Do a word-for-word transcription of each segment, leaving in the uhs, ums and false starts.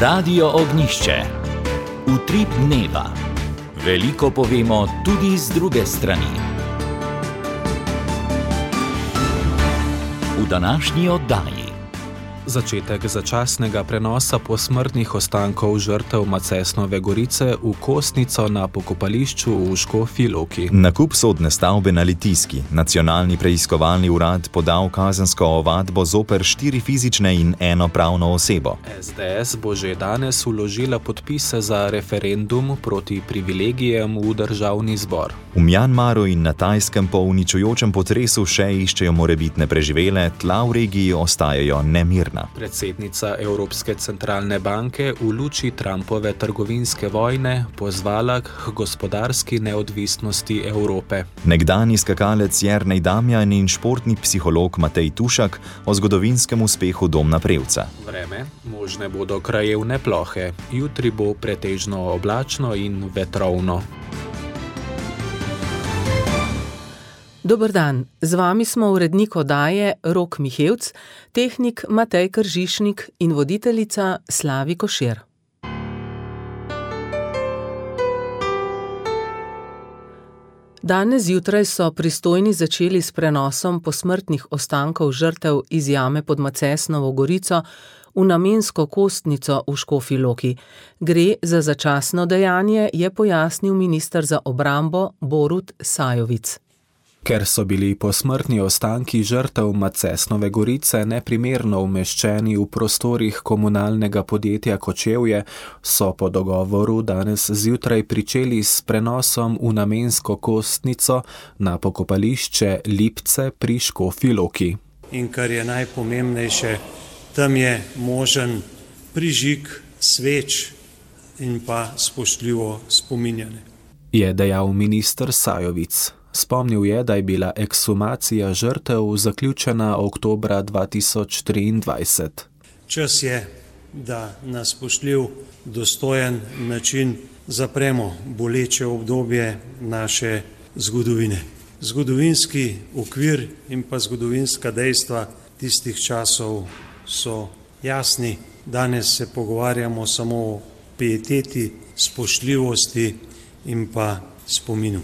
Radio Ognjišče. Utrip dneva. Veliko povemo tudi z druge strani. V današnji oddaji. Začetek začasnega prenosa posmrtnih ostankov žrtev Macesnove gorice v Kostnico na pokopališču v Škofji Loki. Nakup sodne stavbe na Litijski. Nacionalni preiskovalni urad podal kazensko ovadbo zoper štiri fizične in eno pravno osebo. S D S bo že danes vložila podpise za referendum proti privilegijem v državni zbor. V Mjanmaru in na Tajskem po uničujočem potresu še iščejo morebitne preživele, tla v regiji ostajajo nemirna. Predsednica Evropske centralne banke v luči Trumpove trgovinske vojne pozvala k gospodarski neodvisnosti Evrope. Nekdanji skakalec Jernej Damjan in športni psiholog Matej Tušak o zgodovinskem uspehu Domna Prevca. Vreme, možne bodo krajevne plohe, jutri bo pretežno oblačno in vetrovno. Dober dan, z vami smo urednik oddaje Rok Mihevc, tehnik Matej Kržišnik in voditeljica Slavi Košir. Danes zjutraj so pristojni začeli s prenosom posmrtnih ostankov žrtev iz jame pod Macesnovo gorico v namensko kostnico v Škofji Loki. Gre za začasno dejanje, je pojasnil minister za obrambo Borut Sajovic. Ker so bili posmrtni ostanki žrtev Macesnove gorice neprimerno umeščeni v prostorih komunalnega podjetja Kočevje, so po dogovoru danes zjutraj pričeli s prenosom v namensko kostnico na pokopališče Lipce pri Škofji Loki. In kar je najpomembnejše, tam je možen prižig sveč in pa spoštljivo spominjanje. Je dejal minister Sajovic. Spomnil je, da je bila ekshumacija žrtev zaključena oktobra dva tisoč triindvajset. Čas je, da na spoštljiv, dostojen način zapremo boleče obdobje naše zgodovine. Zgodovinski okvir in pa zgodovinska dejstva tistih časov so jasni. Danes se pogovarjamo samo o pieteti, spoštljivosti in pa spominu.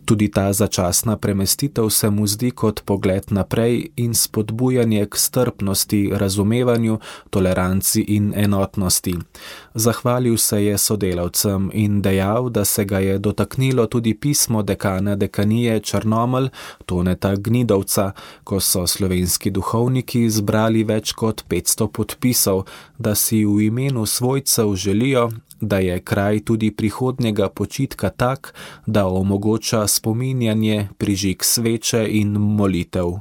Tudi ta začasna premestitev se mu zdi kot pogled naprej in spodbujanje k strpnosti, razumevanju, toleranci in enotnosti. Zahvalil se je sodelavcem in dejal, da se ga je dotaknilo tudi pismo dekana dekanije Črnomelj Toneta Gnidovca, ko so slovenski duhovniki zbrali več kot petsto podpisov, da si v imenu svojcev želijo, da je kraj tudi prihodnjega počitka tak, da omogoča spominjanje, prižig sveče in molitev.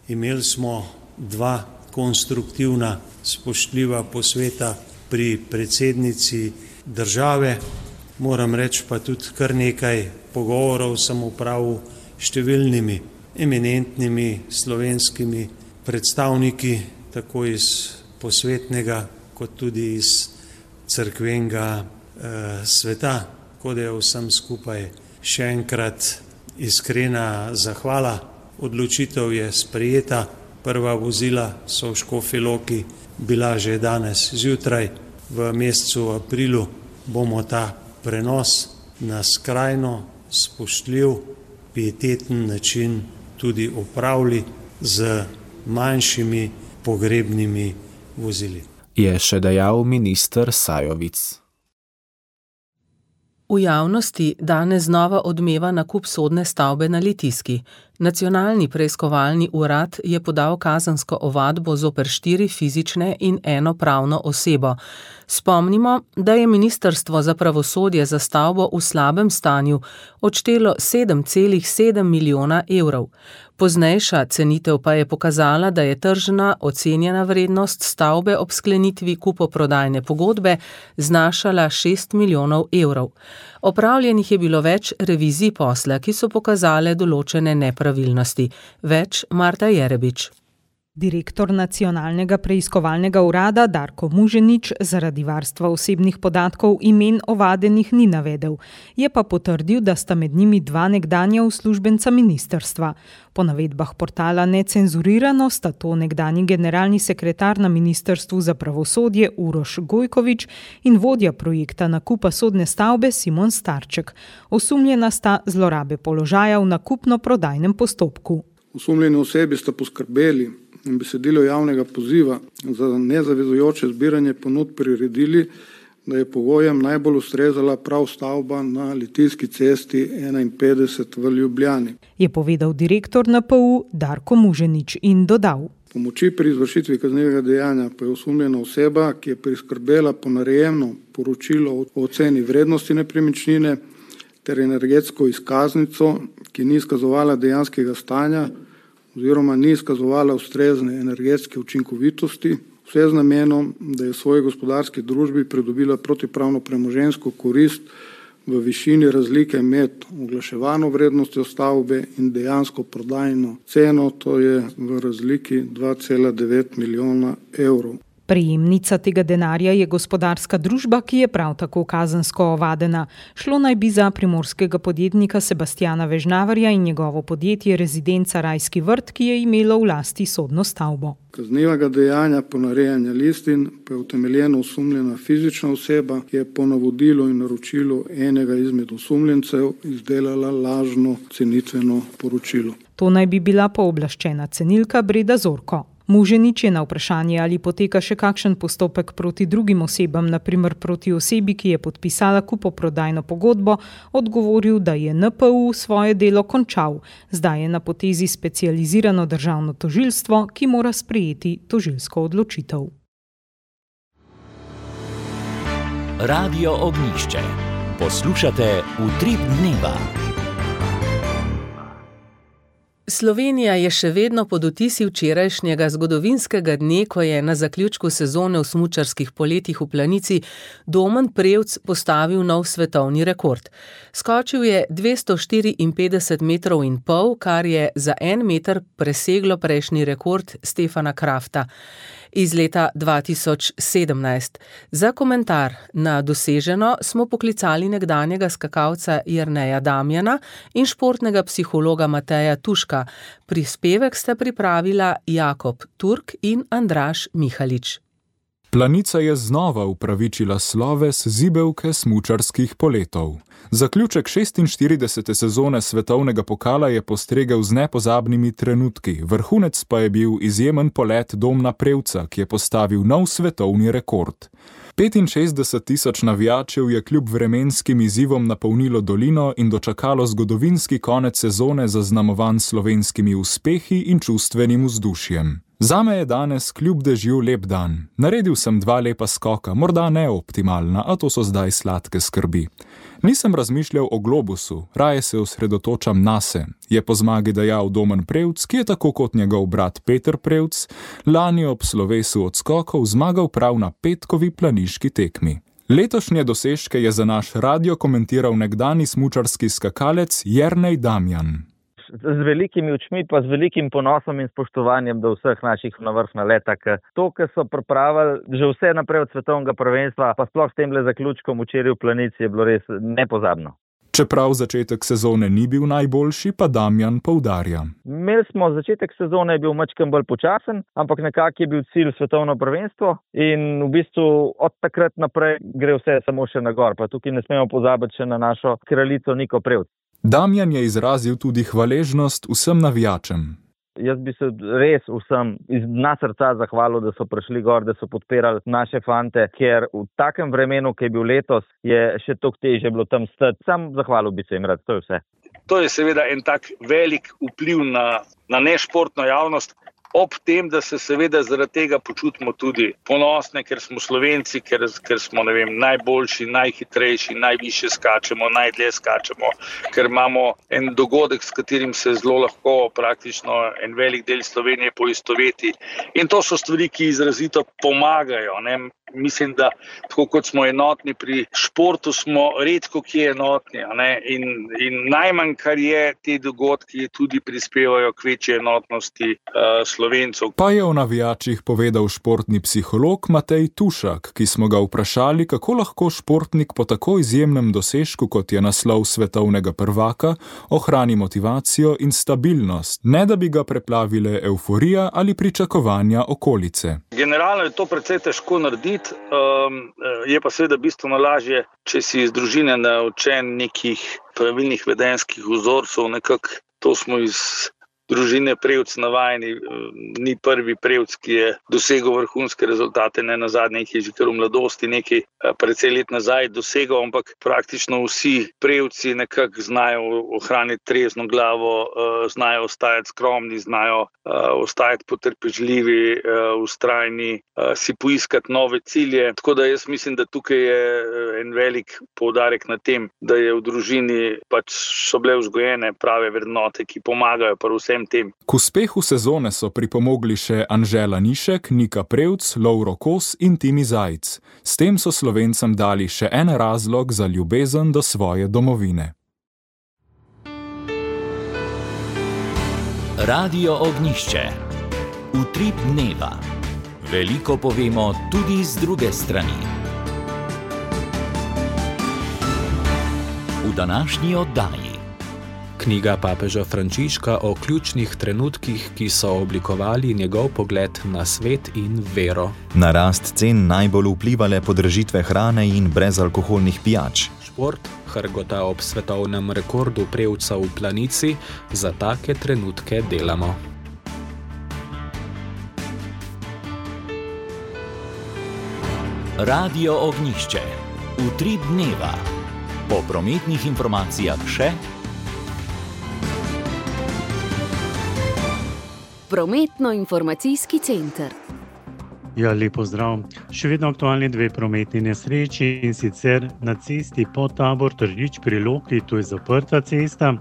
Imeli smo dva konstruktivna, spoštljiva posveta pri predsednici države. Moram reči pa tudi kar nekaj pogovorov sem opravil številnimi eminentnimi slovenskimi predstavniki, tako iz posvetnega kot tudi iz cerkvenega eh, sveta, kot je vsem skupaj še enkrat iskrena zahvala. Odločitev je sprejeta, prva vozila so v Škofji Loki bila že danes zjutraj. V mesecu aprilu bomo ta prenos na skrajno spoštljiv, pieteten način tudi opravili z manjšimi pogrebnimi vozili. Je še dejal minister Sajovic. V javnosti danes znova odmeva nakup sodne stavbe na Litijski. Nacionalni preiskovalni urad je podal kazensko ovadbo zoper štiri fizične in eno pravno osebo. Spomnimo, da je Ministrstvo za pravosodje za stavbo v slabem stanju odštelo sedem celih sedem milijona evrov. Poznejša cenitev pa je pokazala, da je tržna ocenjena vrednost stavbe ob sklenitvi kupoprodajne pogodbe znašala šest milijonov evrov. Opravljenih je bilo več revizij posla, ki so pokazale določene nepravilnosti. Več Marta Jerebič. Direktor Nacionalnega preiskovalnega urada Darko Muženič zaradi varstva osebnih podatkov imen ovadenih ni navedel. Je pa potrdil, da sta med njimi dva nekdanja uslužbenca ministrstva. Po navedbah portala Necenzurirano sta to nekdanji generalni sekretar na Ministrstvu za pravosodje Uroš Gojkovič in vodja projekta nakupa sodne stavbe Simon Starček. Osumljena sta zlorabe položaja v nakupno-prodajnem postopku. Osumljeni osebi sta poskrbeli in besedilo javnega poziva za nezavezujoče zbiranje ponudb priredili, da je pogojem najbolj ustrezala prav stavba na Litijski cesti enainpetdeset v Ljubljani. Je povedal direktor N P U Darko Muženič in dodal. Pomoči pri izvršitvi kaznivega dejanja pa je osumljena oseba, ki je priskrbela ponarejeno poročilo o oceni vrednosti nepremičnine ter energetsko izkaznico, ki ni izkazovala dejanskega stanja oziroma ni izkazovala ustrezne energetske učinkovitosti, vse z namenom, da je v svoji gospodarski družbi pridobila protipravno premoženjsko korist v višini razlike med oglaševano vrednostjo stavbe in dejansko prodajno ceno, to je v razliki dva cela devet milijona evrov. Prejemnica tega denarja je gospodarska družba, ki je prav tako kazensko ovadena. Šlo naj bi za primorskega podjetnika Sebastjana Vežnavarja in njegovo podjetje Rezidenca Rajski vrt, ki je imelo v lasti sodno stavbo. Kaznivega dejanja ponarejanja listin pa je utemeljeno osumljena fizična oseba, ki je po navodilu in naročilu enega izmed osumljencev izdelala lažno cenitveno poročilo. To naj bi bila pooblaščena cenilka Breda Zorko. Muženič je na vprašanje, ali poteka še kakšen postopek proti drugim osebam, na primer proti osebi, ki je podpisala kupoprodajno pogodbo, odgovoril, da je N P U svoje delo končal. Zdaj je na potezi specializirano državno tožilstvo, ki mora sprejeti tožilsko odločitev. Radio Ognjišče. Poslušate Utrip dneva. Slovenija je še vedno pod vtisi včerajšnjega zgodovinskega dne, ko je na zaključku sezone v smučarskih poletih v Planici Domen Prevc postavil nov svetovni rekord. Skočil je dvesto štiriinpetdeset metrov in pol, kar je za en meter preseglo prejšnji rekord Stefana Krafta iz leta dva tisoč sedemnajst. Za komentar na doseženo smo poklicali nekdanjega skakalca Jerneja Damjana in športnega psihologa Mateja Tuška. Prispevek sta pripravila Jakob Turk in Andraž Mihalič. Planica je znova upravičila sloves zibelke smučarskih poletov. Zaključek šestinštiridesete sezone svetovnega pokala je postregel z nepozabnimi trenutki, vrhunec pa je bil izjemen polet Domna Prevca, ki je postavil nov svetovni rekord. petinšestdeset tisoč navijačev je kljub vremenskim izzivom napolnilo dolino in dočakalo zgodovinski konec sezone zaznamovan slovenskimi uspehi in čustvenim vzdušjem. Zame je danes kljub dežju lep dan. Naredil sem dva lepa skoka, morda ne optimalna, a to so zdaj sladke skrbi. Nisem razmišljal o globusu, raje se osredotočam nase, je po zmagi dejal Domen Prevc, ki je tako kot njegov brat Peter Prevc lani ob slovesu odskokov zmagal prav na petkovi planiški tekmi. Letošnje dosežke je za naš radio komentiral nekdani smučarski skakalec Jernej Damjan. Z velikimi očmi pa z velikim ponosom in spoštovanjem do vseh naših na vrh naleta. To, kar so pripravili že vse naprej od svetovnega prvenstva, pa sploh s temle zaključkom včeraj v Planici je bilo res nepozabno. Čeprav začetek sezone ni bil najboljši, pa Damjan poudarja. Imeli smo začetek sezone, je bil majčkeno bolj počasen, ampak nekako je bil cilj svetovno prvenstvo in v bistvu od takrat naprej gre vse samo še na gor. Pa tukaj ne smemo pozabiti še na našo kraljico Niko Prevc. Damjan je izrazil tudi hvaležnost vsem navijačem. Jaz bi se res vsem iz dna srca zahvalil, da so prišli gor, da so podpirali naše fante, ker v takem vremenu, ki je bil letos, je še toliko težje bilo tam stati. Sam zahvalil bi se jim rad, to je vse. To je seveda en tak velik vpliv na, na nešportno javnost. Ob tem, da se seveda zaradi tega počutimo tudi ponosne, ker smo Slovenci, ker, ker smo ne vem, najboljši, najhitrejši, najvišje skačemo, najdlje skačemo, ker imamo en dogodek, s katerim se zelo lahko praktično en velik del Slovenije poistoveti. In to so stvari, ki izrazito pomagajo, ne? Mislim, da tako kot smo enotni pri športu, smo redko kje enotni. Ne? In, in najmanj, kar je, te dogodki tudi prispevajo k večji enotnosti uh, Slovencov. Pa je o navijačih povedal športni psiholog Matej Tušak, ki smo ga vprašali, kako lahko športnik po tako izjemnem dosežku, kot je naslov svetovnega prvaka, ohrani motivacijo in stabilnost, ne da bi ga preplavile evforija ali pričakovanja okolice. Generalno je to precej težko narediti, um, je pa seveda bistveno lažje, če si iz družine naučen nekih pravilnih vedenjskih vzorcev, nekako to smo iz družine Prevc navajeni, ni prvi Prevc, ki je dosegel vrhunske rezultate, ne nazadnje jih je že kar v mladosti nekaj precej let nazaj dosegal, ampak praktično vsi Prevci nekako znajo ohraniti trezno glavo, znajo ostajati skromni, znajo ostajati potrpežljivi, vztrajni, si poiskati nove cilje. Tako da jaz mislim, da tukaj je en velik poudarek na tem, da je v družini pač so bile vzgojene prave vrednote, ki pomagajo pa vsem tem. K uspehu sezone so pripomogli še Anžela Nišek, Nika Prevc, Lovro Kos in Timi Zajc. S tem so Slovencem dali še en razlog za ljubezen do svoje domovine. Radio Ognjišče. Utrip dneva. Veliko povemo tudi z druge strani. V današnji oddaji. Knjiga papeža Frančiška o ključnih trenutkih, ki so oblikovali njegov pogled na svet in vero. Na rast cen najbolj vplivale podražitve hrane in brezalkoholnih pijač. Šport hrgota ob svetovnem rekordu Prevca v planici, za take trenutke delamo. Radio Ognjišče. Utrip dneva. Po prometnih informacijah še Prometno-informacijski center. Ja, lepo zdrav. Še vedno aktualni dve prometni nesreči, in sicer na cesti Podtabor Tržič pri Loki, to je zaprta cesta,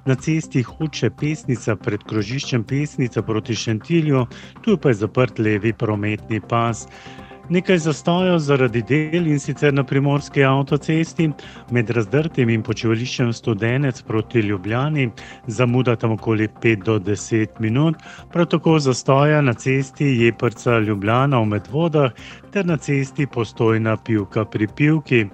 na cesti Hoče Pesnica pred krožiščem Pesnica proti Šentilju, tu pa je zaprt levi prometni pas. Nekaj zastojev zaradi del, in sicer na primorski avtocesti med Razdrtim in počivališčem Studenec proti Ljubljani, zamuda tam okoli pet do deset minut, prav tako zastoja na cesti Jeprca Ljubljana v Medvodah ter na cesti Postojna Pivka pri Pivki.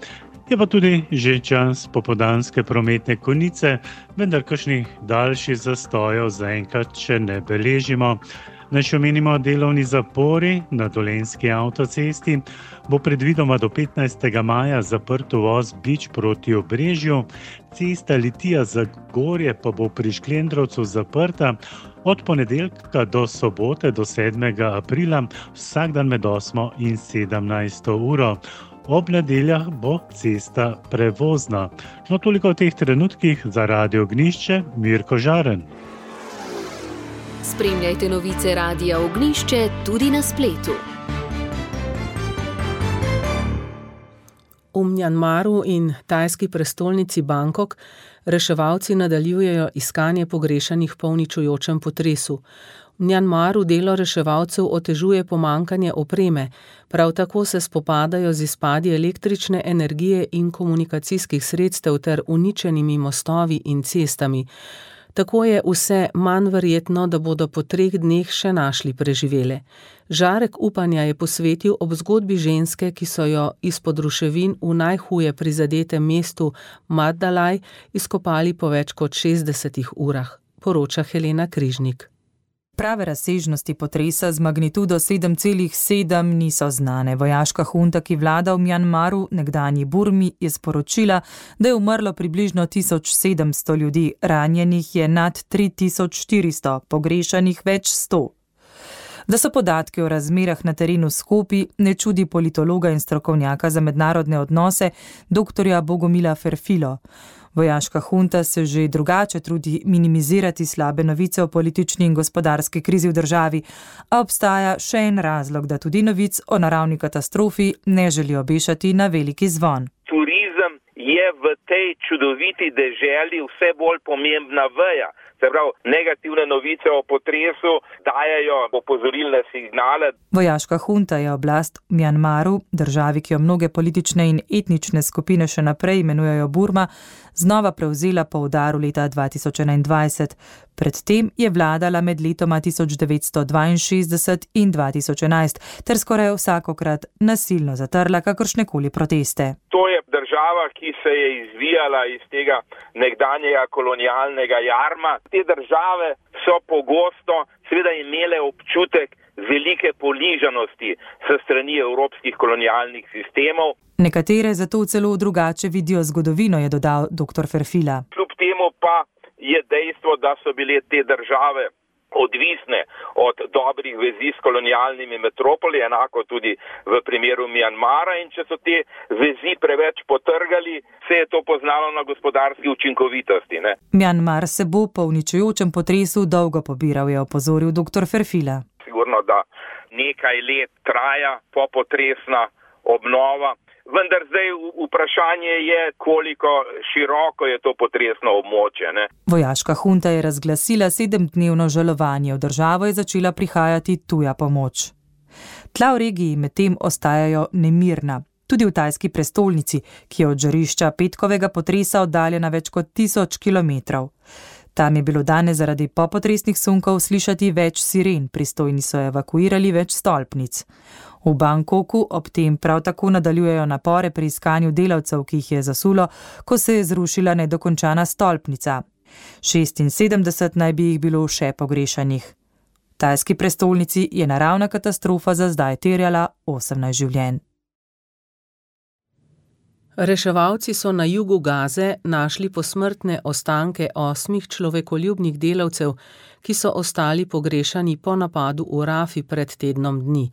Je pa tudi že čas popoldanske prometne konice, vendar kakšnih daljših zastojev zaenkrat še ne beležimo. Naj še omenimo delovni zapori na Dolenjski avtocesti, bo predvidoma do petnajstega maja zaprt uvoz Bič proti Obrežju, cesta Litija Zagorje pa bo pri Šklendrovcu zaprta od ponedeljka do sobote do sedmega aprila, vsak dan med osmo in sedemnajsto uro. Ob nedeljah bo cesta prevozna. No, toliko v teh trenutkih. Za Radio Ognjišče, Mirko Žaren. Spremljajte novice Radia Ognjišče tudi na spletu. V Mjanmaru in tajski prestolnici Bangkok reševalci nadaljujejo iskanje pogrešanih po uničujočem potresu. V Mjanmaru delo reševalcev otežuje pomanjkanje opreme, prav tako se spopadajo z izpadi električne energije in komunikacijskih sredstev ter uničenimi mostovi in cestami. Tako je vse manj verjetno, da bodo po treh dneh še našli preživele. Žarek upanja je posvetil ob zgodbi ženske, ki so jo izpod ruševin v najhuje prizadetem mestu Maddalaj izkopali po več kot šestdesetih urah, poroča Helena Križnik. Prave razsežnosti potresa z magnitudo sedem celih sedem niso znane. Vojaška hunta, ki vlada v Mjanmaru, nekdanji Burmi, je sporočila, da je umrlo približno tisoč sedemsto ljudi, ranjenih je nad tri tisoč štiristo, pogrešanih več sto. Da so podatki o razmerah na terenu skopi, ne čudi politologa in strokovnjaka za mednarodne odnose, doktorja Bogomila Ferfilo. Vojaška hunta se že drugače trudi minimizirati slabe novice o politični in gospodarski krizi v državi, a obstaja še en razlog, da tudi novic o naravni katastrofi ne želi obešati na veliki zvon. Turizem je je v tej čudoviti deželi vse bolj pomembna veja. Se pravi, negativne novice o potresu dajajo opozorilne signale. Vojaška hunta je oblast v Mjanmaru, državi, ki jo mnoge politične in etnične skupine še naprej imenujejo Burma, znova prevzela po udaru leta dva tisoč enaindvajset. Predtem je vladala med letoma tisoč devetsto dvainšestdeset in dva tisoč enajst ter skoraj vsakokrat nasilno zatrla kakršnekoli proteste. To je država, ki se je izvijala iz tega nekdanjega kolonialnega jarma. Te države so pogosto seveda imele občutek velike ponižanosti s strani evropskih kolonialnih sistemov. Nekatere zato celo drugače vidijo zgodovino, je dodal doktor Ferfila. Kljub temu pa je dejstvo, da so bile te države odvisne od dobrih vezi s kolonialnimi metropoli, enako tudi v primeru Mjanmara, in če so te vezi preveč potrgali, se je to poznalo na gospodarski učinkovitosti. Ne? Mjanmar se bo po uničujočem potresu dolgo pobiral, je opozoril doktor Ferfila. Sigurno, da nekaj let traja popotresna obnova, vendar zdaj vprašanje je, koliko široko je to potresno območje. Ne? Vojaška hunta je razglasila sedemdnevno žalovanje, v državo je začela prihajati tuja pomoč. Tla v regiji medtem ostajajo nemirna, tudi v tajski prestolnici, ki je od žarišča petkovega potresa oddaljena več kot tisoč kilometrov. Tam je bilo danes zaradi popotresnih sunkov slišati več siren, pristojni so evakuirali več stolpnic. V Bangkoku ob tem prav tako nadaljujejo napore pri iskanju delavcev, ki jih je zasulo, ko se je zrušila nedokončana stolpnica. šestinsedemdeset naj bi jih bilo še pogrešanih. V tajski prestolnici je naravna katastrofa za zdaj terjala osemnajst življenj. Reševalci so na jugu Gaze našli posmrtne ostanke osmih človekoljubnih delavcev, ki so ostali pogrešani po napadu v Rafi pred tednom dni.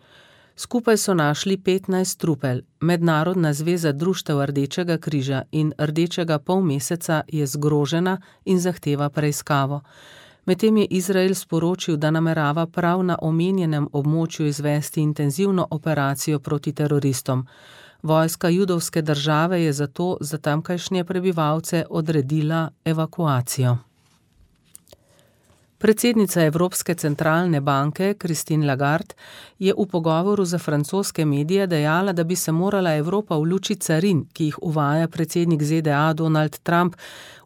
Skupaj so našli petnajst trupel. Mednarodna zveza društev Rdečega križa in Rdečega polmeseca je zgrožena in zahteva preiskavo. Medtem je Izrael sporočil, da namerava prav na omenjenem območju izvesti intenzivno operacijo proti teroristom. Vojska judovske države je zato za tamkajšnje prebivalce odredila evakuacijo. Predsednica Evropske centralne banke Christine Lagarde je v pogovoru za francoske medije dejala, da bi se morala Evropa v luči carin, ki jih uvaja predsednik Z D A Donald Trump,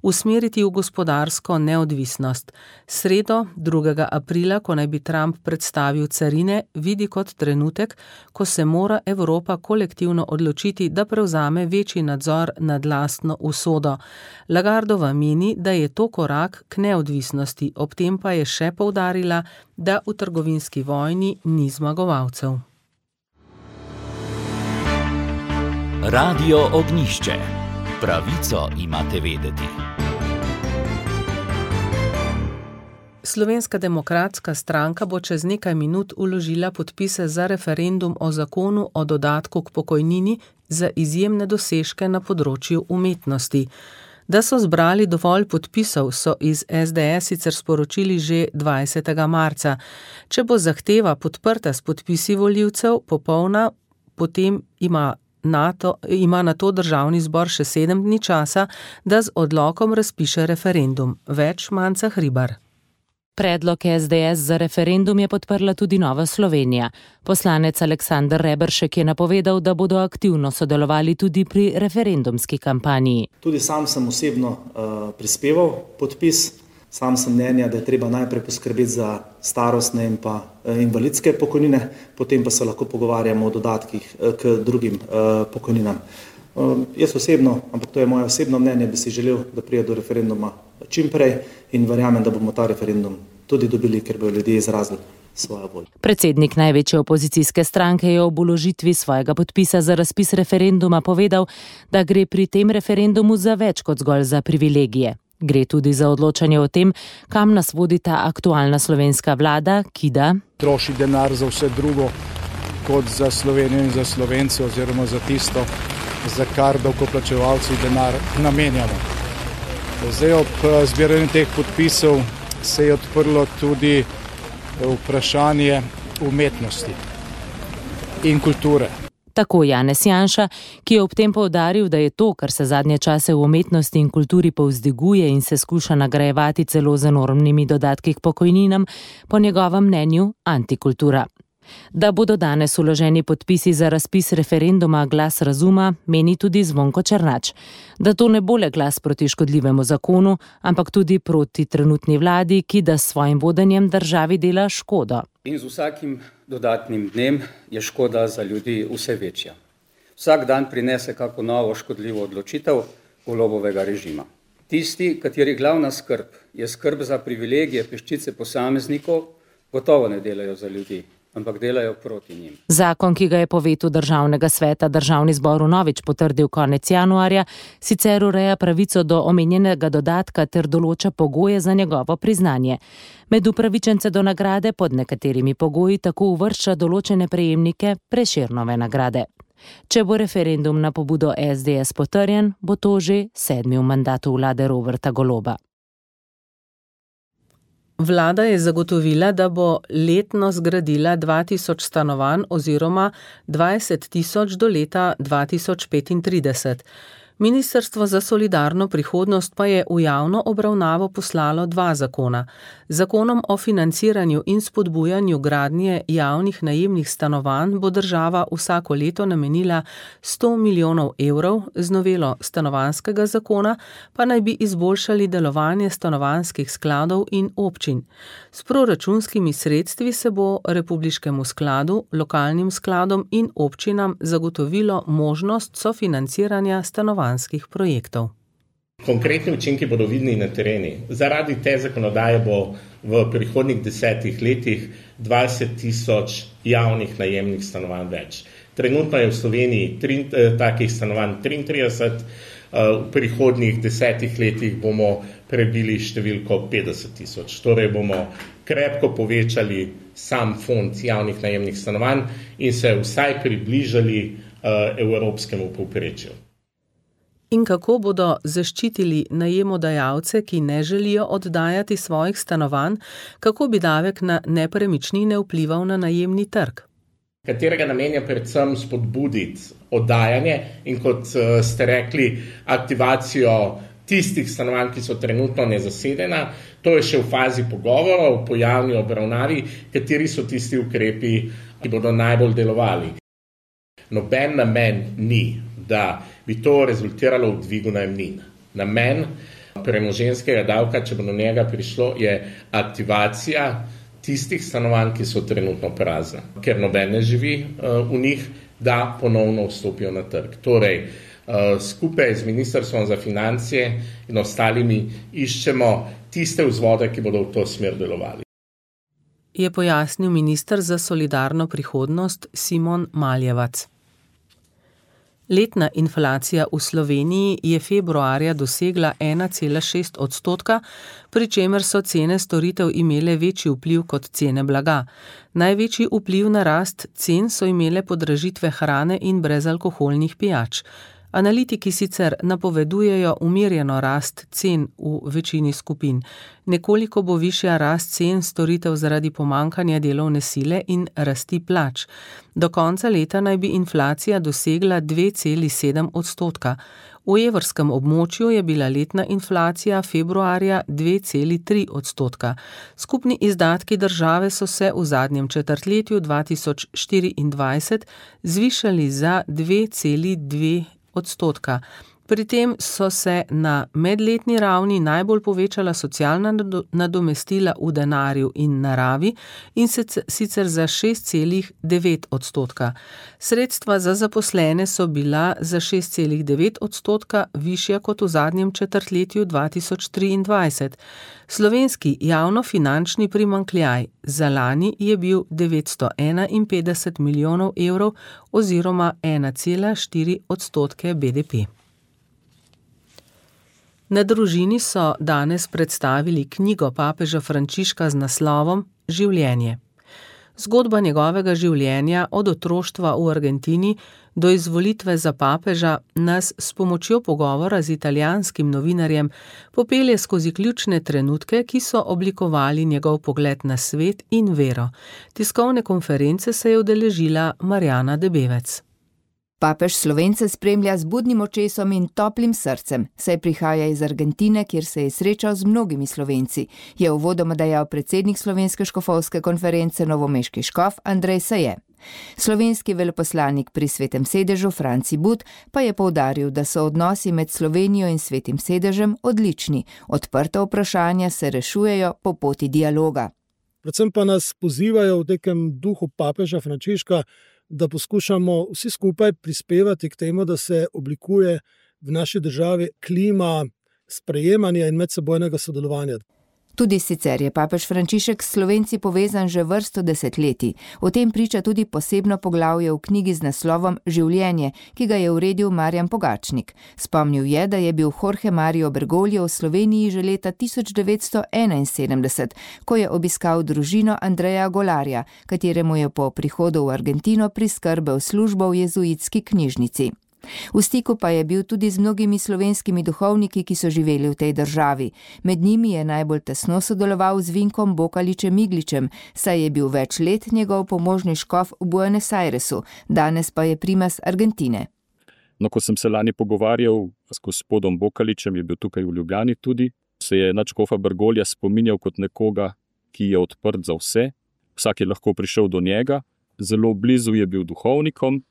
usmeriti v gospodarsko neodvisnost. Sredo, drugega aprila, ko naj bi Trump predstavil carine, vidi kot trenutek, ko se mora Evropa kolektivno odločiti, da prevzame večji nadzor nad lastno usodo. Lagardova meni, da je to korak k neodvisnosti, ob tem pa je še poudarila, da v trgovinski vojni ni zmagovalcev. Radio Ognjišče. Pravico imate vedeti. Slovenska demokratska stranka bo čez nekaj minut vložila podpise za referendum o zakonu o dodatku k pokojnini za izjemne dosežke na področju umetnosti. Da so zbrali dovolj podpisov, so iz S D S sicer sporočili že dvajsetega marca. Če bo zahteva podprta s podpisi volivcev popolna, potem ima, NATO, ima na to državni zbor še sedem dni časa, da z odlokom razpiše referendum. Več Manca Hribar. Predlog S D S za referendum je podprla tudi Nova Slovenija. Poslanec Aleksander Reberšek je napovedal, da bodo aktivno sodelovali tudi pri referendumski kampanji. Tudi sam sem osebno uh, prispeval podpis. Sam sem mnenja, da je treba najprej poskrbeti za starostne in pa uh, invalidske pokojnine, potem pa se lahko pogovarjamo o dodatkih uh, k drugim uh, pokojninam. Uh, jaz osebno, ampak to je moje osebno mnenje, bi si želel, da pride do referenduma čim prej in verjamem, da bomo ta referendum tudi dobili, ker bodo ljudje izrazili svojo voljo. Predsednik največje opozicijske stranke je ob vložitvi svojega podpisa za razpis referenduma povedal, da gre pri tem referendumu za več kot zgolj za privilegije. Gre tudi za odločanje o tem, kam nas vodi ta aktualna slovenska vlada, ki da troši denar za vse drugo kot za Slovenijo in za Slovence oziroma za tisto, za kar davkoplačevalci denar namenjamo. Zdaj ob zbiranju teh podpisov se je odprlo tudi vprašanje umetnosti in kulture. Tako Janez Janša, ki je ob tem poudaril, da je to, kar se zadnje čase v umetnosti in kulturi povzdiguje in se skuša nagrajevati celo z enormnimi dodatki k pokojninam, po njegovem mnenju antikultura. Da bodo danes vloženi podpisi za razpis referenduma Glas razuma, meni tudi Zvonko Černač. Da to ne bo le glas proti škodljivemu zakonu, ampak tudi proti trenutni vladi, ki da s svojim vodenjem državi dela škodo. In z vsakim dodatnim dnem je škoda za ljudi vse večja. Vsak dan prinese kako novo škodljivo odločitev Golobovega režima. Tisti, kateri glavna skrb je skrb za privilegije peščice posameznikov, gotovo ne delajo za ljudi, ampak delajo proti njim. Zakon, ki ga je po vetu Državnega sveta Državni zbor vnovič potrdil konec januarja, sicer ureja pravico do omenjenega dodatka ter določa pogoje za njegovo priznanje. Med upravičence do nagrade pod nekaterimi pogoji tako uvršča določene prejemnike Prešernove nagrade. Če bo referendum na pobudo es de es potrjen, bo to že sedmi v mandatu vlade Roberta Goloba. Vlada je zagotovila, da bo letno zgradila dva tisoč stanovanj oziroma dvajset tisoč do leta dva tisoč petintrideset. Ministrstvo za solidarno prihodnost pa je v javno obravnavo poslalo dva zakona. Zakonom o financiranju in spodbujanju gradnje javnih najemnih stanovanj bo država vsako leto namenila sto milijonov evrov, z novelo stanovanjskega zakona pa naj bi izboljšali delovanje stanovanjskih skladov in občin. S proračunskimi sredstvi se bo republiškemu skladu, lokalnim skladom in občinam zagotovilo možnost sofinanciranja stanovanjskih projektov. Konkretni učinki bodo vidni na tereni. Zaradi te zakonodaje bo v prihodnjih desetih letih dvajset tisoč javnih najemnih stanovanj več. Trenutno je v Sloveniji tri, takih stanovanj triintrideset, v prihodnjih desetih letih bomo prebili številko petdeset tisoč. Torej bomo krepko povečali sam fond javnih najemnih stanovanj in se vsaj približali uh, evropskemu povprečju. In kako bodo zaščitili najemodajalce, ki ne želijo oddajati svojih stanovanj, kako bi davek na nepremičnine vplival na najemni trg? Katerega namen je predvsem spodbuditi oddajanje in, kot ste rekli, aktivacijo tistih stanovanj, ki so trenutno nezasedena. To je še v fazi pogovorov, po javni obravnavi, kateri so tisti ukrepi, ki bodo najbolj delovali. Noben namen ni, da bi to rezultiralo v dvigu najemnin. Namen premoženjskega davka, če bo do njega prišlo, je aktivacija tistih stanovanj, ki so trenutno prazna, ker noben ne živi uh, v njih, da ponovno vstopijo na trg. Torej, uh, skupaj z Ministrstvom za finance in ostalimi iščemo tiste vzvode, ki bodo v to smer delovali. Je pojasnil minister za solidarno prihodnost Simon Maljevac. Letna inflacija v Sloveniji je februarja dosegla ena cela šest odstotka, pri čemer so cene storitev imele večji vpliv kot cene blaga. Največji vpliv na rast cen so imele podražitve hrane in brezalkoholnih pijač. Analitiki sicer napovedujejo umirjeno rast cen v večini skupin. Nekoliko bo višja rast cen storitev zaradi pomankanja delovne sile in rasti plač. Do konca leta naj bi inflacija dosegla dve celi sedem odstotka. V evrskem območju je bila letna inflacija februarja dve celi tri odstotka. Skupni izdatki države so se v zadnjem četrtletju dva tisoč štiriindvajset zvišali za dve celi dve odstotka. Pri tem so se na medletni ravni najbolj povečala socialna nadomestila v denarju in naravi in sicer za šest celi devet odstotka. Sredstva za zaposlene so bila za šest celi devet odstotka višja kot v zadnjem četrtletju dva tisoč triindvajset. Slovenski javnofinančni primanjkljaj za lani je bil devetsto enainpetdeset milijonov evrov oziroma ena cela štiri odstotke be de pe. Na Družini so danes predstavili knjigo papeža Frančiška z naslovom Življenje. Zgodba njegovega življenja od otroštva v Argentini do izvolitve za papeža nas s pomočjo pogovora z italijanskim novinarjem popelje skozi ključne trenutke, ki so oblikovali njegov pogled na svet in vero. Tiskovne konference se je udeležila Marjana Debevec. Papež Slovence spremlja z budnim očesom in toplim srcem, saj prihaja iz Argentine, kjer se je srečal z mnogimi Slovenci, je uvodoma dejal predsednik Slovenske škofovske konference novomeški škof Andrej Saje. Slovenski veleposlanik pri Svetem sedežu Franci But pa je poudaril, da so odnosi med Slovenijo in Svetim sedežem odlični, odprta vprašanja se rešujejo po poti dialoga. Predvsem pa nas pozivajo v nekem duhu papeža Frančiška, da poskušamo vsi skupaj prispevati k temu, da se oblikuje v naši državi klima sprejemanja in medsebojnega sodelovanja. Tudi sicer je papež Frančišek s Slovenci povezan že vrsto desetletij. O tem priča tudi posebno poglavje v knjigi z naslovom Življenje, ki ga je uredil Marjan Pogačnik. Spomnil je, da je bil Jorge Mario Bergoglio v Sloveniji že leta tisoč devetsto enainsedemdeset, ko je obiskal družino Andreja Golarja, kateremu je po prihodu v Argentino priskrbel službo v jezuitski knjižnici. V stiku pa je bil tudi z mnogimi slovenskimi duhovniki, ki so živeli v tej državi. Med njimi je najbolj tesno sodeloval z Vinkom Bokaličem Igličem, saj je bil več let njegov pomožni škof v Buenos Airesu, danes pa je primas Argentine. No, ko sem se lani pogovarjal s gospodom Bokaličem, je bil tukaj v Ljubljani tudi, se je nadškofa Bergoglja spominjal kot nekoga, ki je odprt za vse, vsak je lahko prišel do njega, zelo blizu je bil duhovnikom.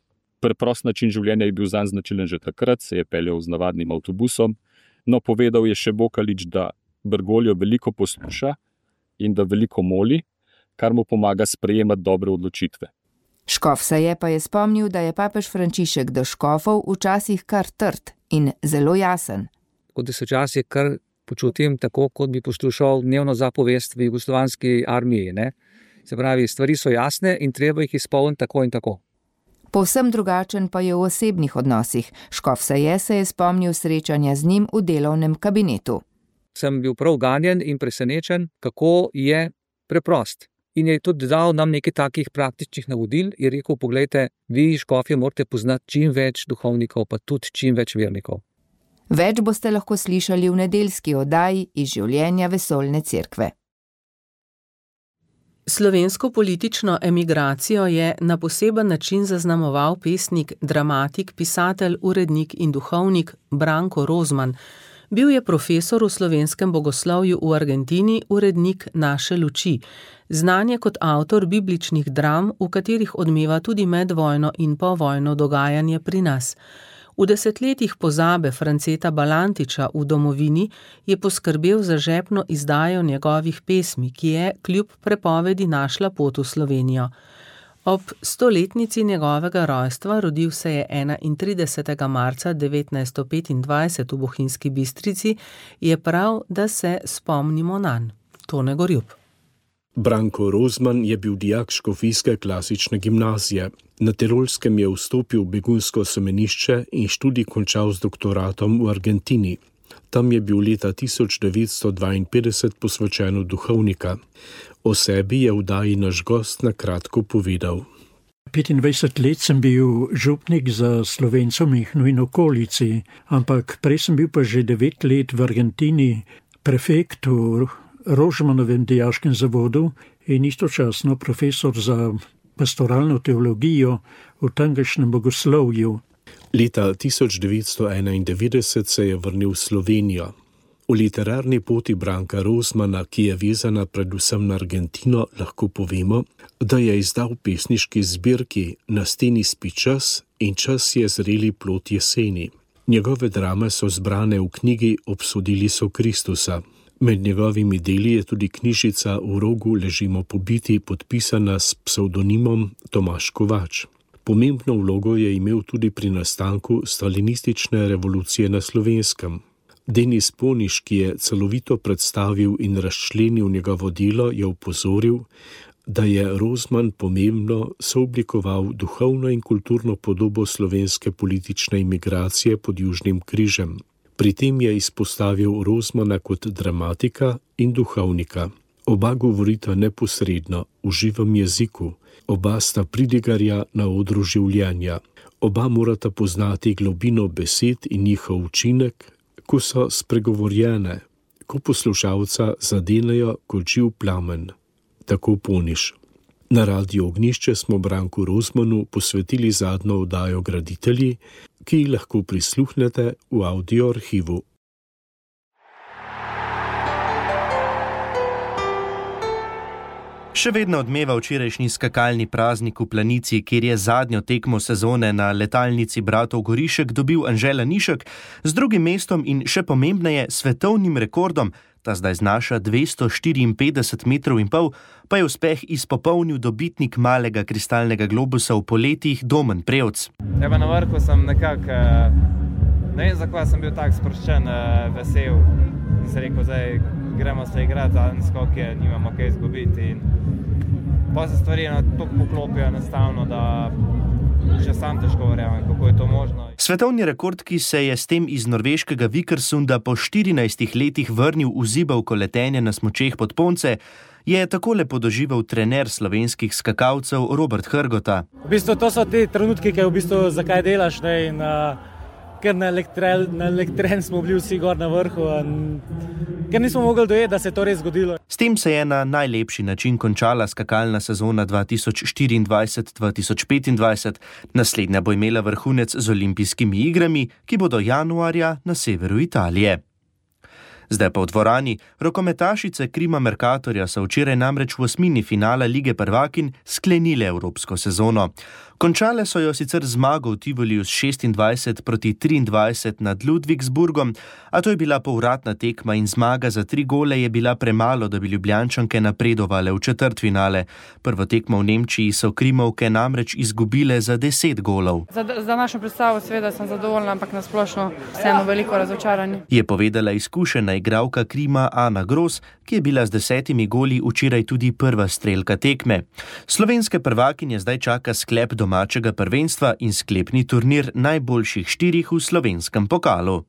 Preprost način življenja je bil zanj značilen že takrat, se je peljal z navadnim avtobusom, no povedal je še Bokalič, da Bergoglio veliko posluša in da veliko moli, kar mu pomaga sprejemati dobre odločitve. Škof Saje pa je spomnil, da je papež Frančišek do škofov včasih kar trd in zelo jasen. Kot da se včasih kar počutim tako, kot bi poslušal dnevno zapovest v jugoslovanski armiji, ne? Se pravi, stvari so jasne in treba jih izpolniti tako in tako. Povsem drugačen pa je v osebnih odnosih. Škof Saje se je spomnil srečanja z njim v delovnem kabinetu. Sem bil prav ganjen in presenečen, kako je preprost. In je tudi dal nam nekaj takih praktičnih navodil, je rekel, poglejte, vi škofje morate poznati čim več duhovnikov, pa tudi čim več vernikov. Več boste lahko slišali v nedeljski oddaji iz življenja vesoljne cerkve. Slovensko politično emigracijo je na poseben način zaznamoval pesnik, dramatik, pisatelj, urednik in duhovnik Branko Rozman. Bil je profesor v slovenskem bogoslovju v Argentini, urednik Naše luči. Znan je kot avtor bibličnih dram, v katerih odmeva tudi medvojno in povojno dogajanje pri nas. V desetletjih pozabe Franceta Balantiča v domovini je poskrbel za žepno izdajo njegovih pesmi, ki je kljub prepovedi našla pot v Slovenijo. Ob stoletnici njegovega rojstva, rodil se je enaintridesetega marca devetnajststo petindvajset v Bohinjski Bistrici, je prav, da se spomnimo nanj. Tone Gorjup. Branko Rozman je bil dijak škofijske klasične gimnazije. Na Tirolskem je vstopil v begunsko semenišče in študij končal z doktoratom v Argentini. Tam je bil leta tisoč devetsto dvainpetdeset posvečen v duhovnika. O sebi je v oddaji Naš gost na kratko povedal. petindvajset let sem bil župnik za Slovencov Mihnu in okolici, ampak prej sem bil pa že devet let v Argentini prefekt v Rožmanovem dijaškem zavodu in istočasno profesor za pastoralno teologijo v tamkajšnjem bogoslovju. Leta tisoč devetsto enaindevetdeset se je vrnil v Slovenijo. O literarni poti Branka Rozmana, ki je vezana predvsem na Argentino, lahko povemo, da je izdal pesniški zbirki Na steni spi čas in Čas je zreli plod jeseni. Njegove drame so zbrane v knjigi Obsodili so Kristusa. Med njegovimi deli je tudi knjižica V rogu ležimo pobiti, podpisana s psevdonimom Tomaž Kovač. Pomembno vlogo je imel tudi pri nastanku stalinistične revolucije na Slovenskem. Denis Poniš, ki je celovito predstavil in razčlenil njegovo delo, je opozoril, da je Rozman pomembno sooblikoval duhovno in kulturno podobo slovenske politične imigracije pod Južnim križem. Pri tem je izpostavil Rozmana kot dramatika in duhovnika. Oba govorita neposredno, v živem jeziku. Oba sta pridigarja na odru življenja. Oba morata poznati globino besed in njihov učinek, ko so spregovorjene, ko poslušalca zadenejo kot živ plamen. Tako Poniš. Na Radiu Ognjišče smo Branku Rozmanu posvetili zadnjo oddajo Graditelji, ki ji lahko prisluhnete v audio arhivu. Še vedno odmeva včerajšnji skakalni praznik v Planici, kjer je zadnjo tekmo sezone na letalnici bratov Gorišek dobil Anže Lanišek z drugim mestom in še pomembneje svetovnim rekordom, ta zdaj znaša dvesto štiriinpetdeset metrov in pol, pa je uspeh izpopolnil dobitnik malega kristalnega globusa v poletjih Domen Prevc. Eba na vrhu sem nekako, ne vem zakaj sem bil tak sproščen, vesel in se rekel, zdaj gremo se igrati zadnji skok, je nimamo kaj izgubiti in pa se stvari tako poklopijo enostavno, da še sam težko verjamem, kako je to možno. Svetovni rekord, ki se je s tem iz norveškega Vikersunda po štirinajstih letih vrnil v zibelko letenja na smučeh pod Ponce, je takole podoživel trener slovenskih skakalcev Robert Hrgota. V bistvu to so ti trenutki, ki v bistvu zakaj delaš, ne, in uh, ker na elektrel, na elektren smo bili vsi gor na vrhu, in ker nismo mogli dojeti, da se je to res zgodilo. S tem se je na najlepši način končala skakalna sezona dva tisoč štiriindvajset dva tisoč petindvajset. Naslednja bo imela vrhunec z olimpijskimi igrami, ki bodo januarja na severu Italije. Zdaj pa v dvorani. Rokometašice Krima Mercatorja so včeraj namreč v osmini finala Lige prvakinj sklenile evropsko sezono. Končale so jo sicer zmago v Tivoliju s šestindvajset proti triindvajset nad Ludwigsburgom, a to je bila povratna tekma in zmaga za tri gole je bila premalo, da bi Ljubljančanke napredovale v četrtfinale. Prvo tekmo v Nemčiji so Krimovke namreč izgubile za deset golov. Za, za našo predstavo seveda sem zadovoljna, ampak nasplošno vseeno veliko razočaranje. Je povedala izkušena igralka Krima Ana Gros, ki je bila z desetimi goli včeraj tudi prva strelka tekme. Slovenske prvakinje zdaj čaka sklep domačega prvenstva in sklepni turnir najboljših štirih v slovenskem pokalu.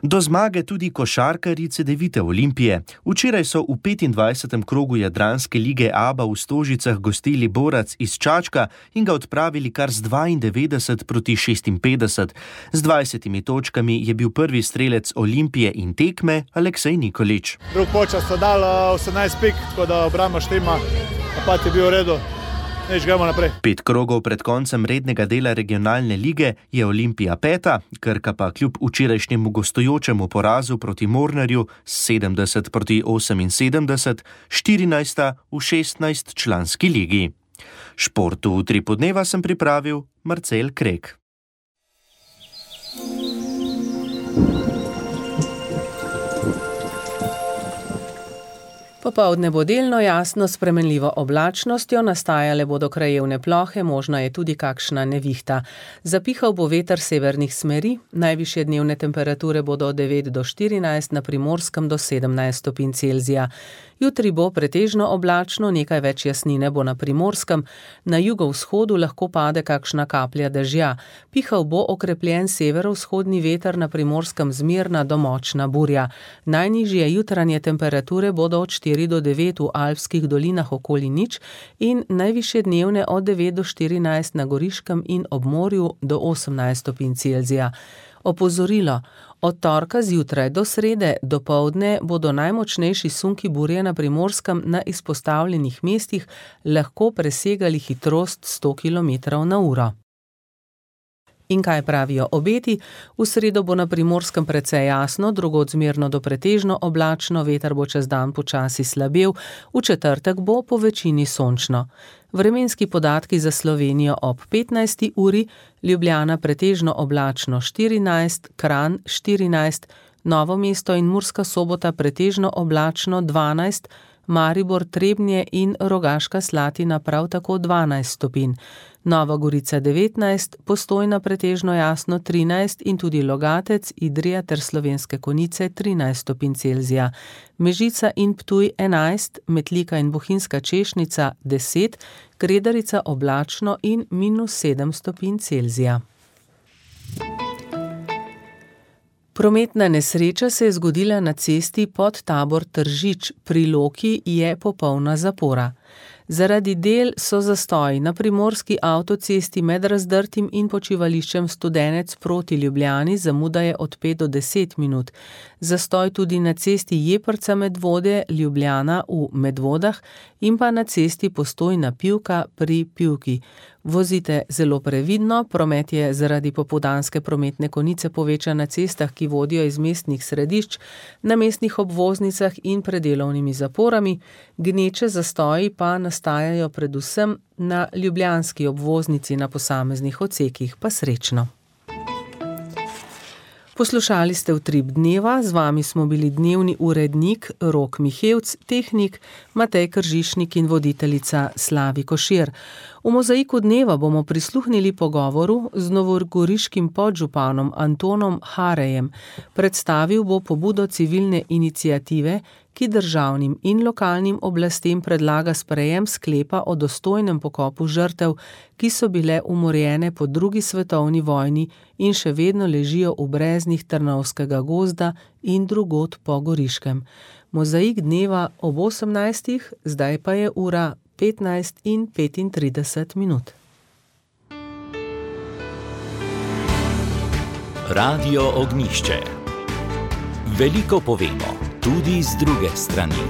Do zmage tudi košarkarji Cedevite Olimpije. Včeraj so v petindvajsetem krogu Jadranske lige Aba v Stožicah gostili Borac iz Čačka in ga odpravili kar z dvaindevetdeset proti šestinpetdeset. Z dvajsetimi točkami je bil prvi strelec Olimpije in tekme Aleksej Nikolič. Drug počas so dali osemnajst pik, tako da obramba štima, napad je bil v redu. Pet krogov pred koncem rednega dela regionalne lige je Olimpija peta, Krka pa kljub včerajšnjemu gostujočemu porazu proti Mornarju sedemdeset proti oseminsedemdeset, štirinajsta v šestnajstčlanski ligi. Športu v Utripu dneva sem pripravil Marcel Krek. Popoldne bo delno jasno s spremenljivo oblačnostjo, nastajale bodo krajevne plohe, možna je tudi kakšna nevihta. Zapihal bo veter severnih smeri, najvišje dnevne temperature bodo od devet do štirinajst, na Primorskem do sedemnajst stopinj Celzija. Jutri bo pretežno oblačno, nekaj več jasnine bo na Primorskem, na jugovzhodu lahko pade kakšna kaplja dežja. Pihal bo okrepljen severovzhodni veter, na Primorskem zmerna do močna burja. Najnižje jutranje temperature bodo od štiri do devet v alpskih dolinah okoli nič in najvišje dnevne od devet do štirinajst na Goriškem in ob morju do osemnajst stopinj Celzija. Opozorilo. Od torka zjutraj do srede dopoldne bodo najmočnejši sunki burje na Primorskem na izpostavljenih mestih lahko presegali hitrost sto kilometrov na uro. In kaj pravijo obeti? V sredo bo na Primorskem precej jasno, drugod zmerno do pretežno oblačno, veter bo čez dan počasi slabel, v četrtek bo po večini sončno. Vremenski podatki za Slovenijo ob petnajsti uri, Ljubljana pretežno oblačno štirinajst, Kranj štirinajst, Novo mesto in Murska Sobota pretežno oblačno dvanajst, Maribor, Trebnje in Rogaška Slatina prav tako dvanajst stopinj. Nova Gorica devetnajst, Postojna pretežno jasno trinajst in tudi Logatec, Idrija ter Slovenske Konjice trinajst stopinj Celzija. Mežica in Ptuj enajst, Metlika in Bohinjska Češnica deset, Kredarica oblačno in minus sedem stopinj Celzija. Prometna nesreča se je zgodila na cesti pod Tabor Tržič, pri Loki je popolna zapora. Zaradi del so zastoji na primorski avtocesti med Razdrtim in počivališčem Studenec proti Ljubljani zamudaje od pet do deset minut. Zastoj tudi na cesti Jeprca Medvode Ljubljana v Medvodah in pa na cesti Postojna Pivka pri Pivki. Vozite zelo previdno, promet je zaradi popoldanske prometne konice povečan na cestah, ki vodijo iz mestnih središč, na mestnih obvoznicah in predelovnimi zaporami, gneče zastoji pa nastajajo predvsem na ljubljanski obvoznici na posameznih odsekih, pa srečno. Poslušali ste Utrip dneva, z vami smo bili dnevni urednik Rok Mihevc, tehnik Matej Kržišnik in voditeljica Slavi Košir. V mozaiku dneva bomo prisluhnili pogovoru z novogoriškim podžupanom Antonom Harejem. Predstavil bo pobudo civilne iniciative, ki državnim in lokalnim oblastem predlaga sprejem sklepa o dostojnem pokopu žrtev, ki so bile umorjene po drugi svetovni vojni in še vedno ležijo v breznih Trnovskega gozda in drugod po Goriškem. Mozaik dneva ob osemnajstih, zdaj pa je ura petnajst in petintrideset minut. Radio Ognjišče. Veliko povemo, tudi z druge strani.